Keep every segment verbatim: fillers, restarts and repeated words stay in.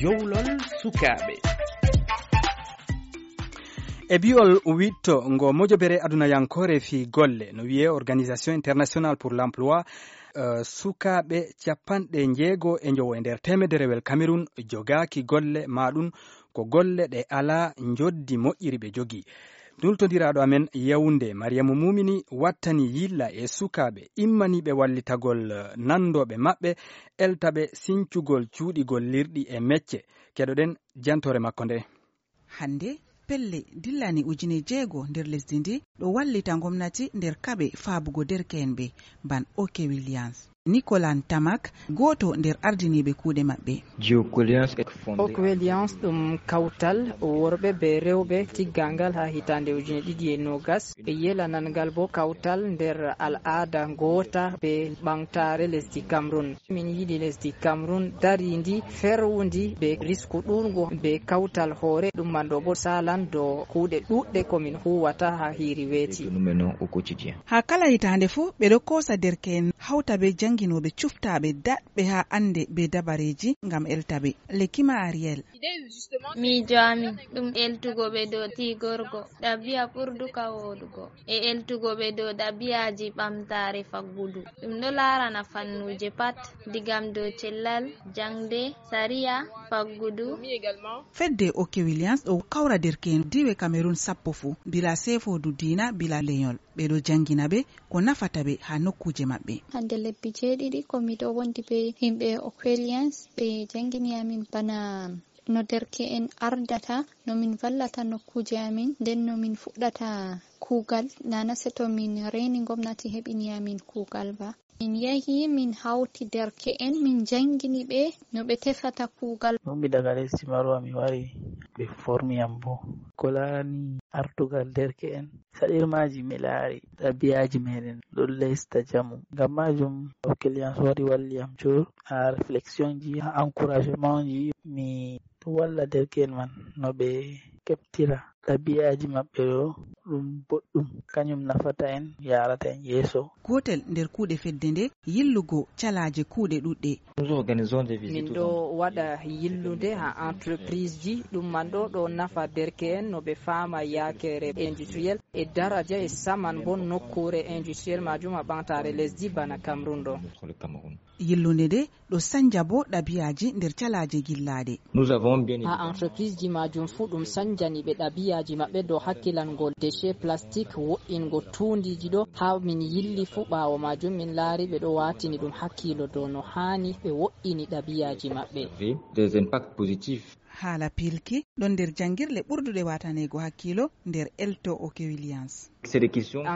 jowlol sukaɓe. e bi'ol witto ngo mojobere adunayankore fi golle no wiye organisation internationale pour l'emploi uh, sukaɓe capanɗe jeego e jowo e nder temederewel Cameroun jogaki golle maɗum ko golle ɗe ala joddi moƴƴiri ɓe jogi. Dultodiraɗo amen Yaounde Mariamu Mumini wattani yilla e sukaɓe immaniɓe wallitagol nandoɓe maɓɓe eltaɓe sincugol cuuɗigol lirɗi e mecce. Keɗoɗen jantore makko nde. Hande pelle dillani ujune jeego nder lesdi ndi ɗo wallita gomnati nder kaɓe faabugo derke'en ɓe ban Oke Williams. Nicolas Tamak goto nder ardiniɓe kuuɗe maɓɓe. Oke Williams ɗum kawtal worɓe be rewɓe tiggangal ha hitande ujune ɗiɗi e nogas ɓe yelanangal bo kawtal nder al'ada gota be ɓamtare lesdi Cameroun. Min yiɗi lesdi Cameroun darindi ferwundi be risku ɗurgo be kawtal hoore ɗum man ɗo bo salan do kuuɗe ɗuɗɗe komin huwata ha hiri weeti. Ha kala hitande fu ɓe ɗo kosa derke'en hawta be janginoɓe cuftaɓe daɗɓe ha ande be dabareji ngam eltaɓe. Lekima Ariel. Miijo amin ɗum eltugo ɓe dow tigorgo ɗabi'a ɓurduka wodugo e eltugo ɓe dow ɗabi'aji ɓamtare faggudu ɗum ɗo larana fannuje pat digam dow cellal jangde sariya faggudu. Fedde Oke Williams ɗo kawra derke'en diwe Cameroun sappo fu bila sefodu dina bila lenyol ɓe ɗo jangina ɓe ko nafata ɓe ha nokkuje maɓɓe. Hande lebbi jeeɗiɗi komi ɗo wondi be himɓe Oke Williams ɓe jangini amin bana no derke'en ardata, no min vallata nokkuje amin, nden no min fuɗɗata kuugal nana seto min reni gomnati heɓini amin kuugal ba. Min yahi min hawti derke'en min jangini ɓe no ɓe tefata kuugal. Ɗum daga lesdi Marwa mi wari ɓe formi am bo ko larani artugal derke'en saɗirmaji mi laari ɗabi'aji meɗen ɗo lesta jamu. Ngam majum Oke Williams wari walli am jur ha réflexion ji ha encouragement ji mi walla derke'en man no ɓe keɓtira ɗabi'aji maɓɓe ɗo ɗum boɗɗum kañum nafata en yarata en yeeso. Gotel nder kuuɗe fedde nde yillugo calaje kuuɗe ɗuɗɗe. Min ɗo waɗa yillude ha entreprise ji ɗum man ɗo ɗo nafa derke'en no ɓe fama yakere industriel e daraja e saman bo nokkure industriel majum ha ɓamtare lesdi bana Cameroun ɗo. Yillunde nde ɗo sanja bo ɗabi'aji nder calaje gillaɗe. Ha entreprise ji majum fu ɗum sanjani ɓe ɗabi'aji maɓɓe dow hakkilangol déchet plastique wo'ingo tundiji ɗo ha min yilli fu ɓawo majum min laari ɓe ɗo watini ɗum hakkilo dow no hani ɓe wo'ini ɗabi'aji maɓɓe. Des impacts positifs. Haala pilki ɗon nder jangirle ɓurduɗe watanego hakkilo nder elto Oke Williams.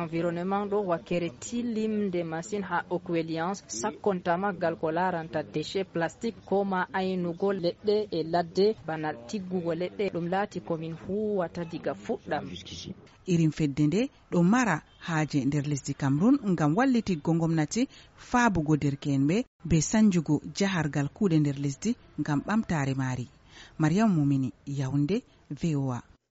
Environnement ɗo wakkere tilimde masin ha Oke Williams sakkontama gal ko laranta déchet plastique ko ma aynugo leɗɗe e ladde bana tiggugo leɗɗe ɗum laati komin huwata diga fuɗɗam. Irin fedde nde ɗo mara haaje nder lesdi Cameroun ngam wallitiggo gomnati faabugo derke'en ɓe be sanjugo jahargal kuuɗe nder lesdi ngam ɓamtare maari. Mariam Mumini, Yaounde, V O A.